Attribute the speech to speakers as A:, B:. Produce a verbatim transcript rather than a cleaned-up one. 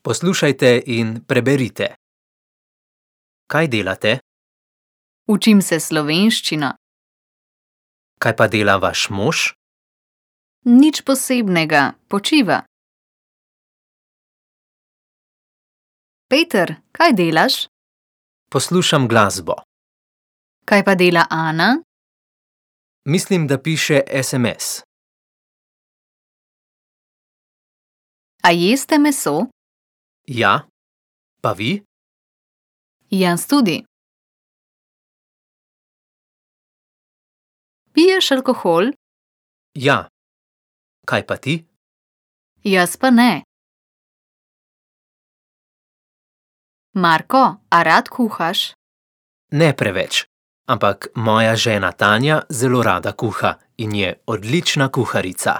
A: Poslušajte in preberite. Kaj delate?
B: Učim se slovenščino.
A: Kaj pa dela vaš mož?
B: Nič posebnega, počiva. Peter, kaj delaš?
A: Poslušam glasbo.
B: Kaj pa dela Ana?
A: Mislim, da piše es em es.
B: A jeste meso?
A: Ja. Pa vi?
B: Jaz tudi. Piješ alkohol?
A: Ja. Kaj pa ti?
B: Jaz pa ne. Marko, a rad kuhaš?
A: Ne preveč, ampak moja žena Tanja zelo rada kuha in je odlična kuharica.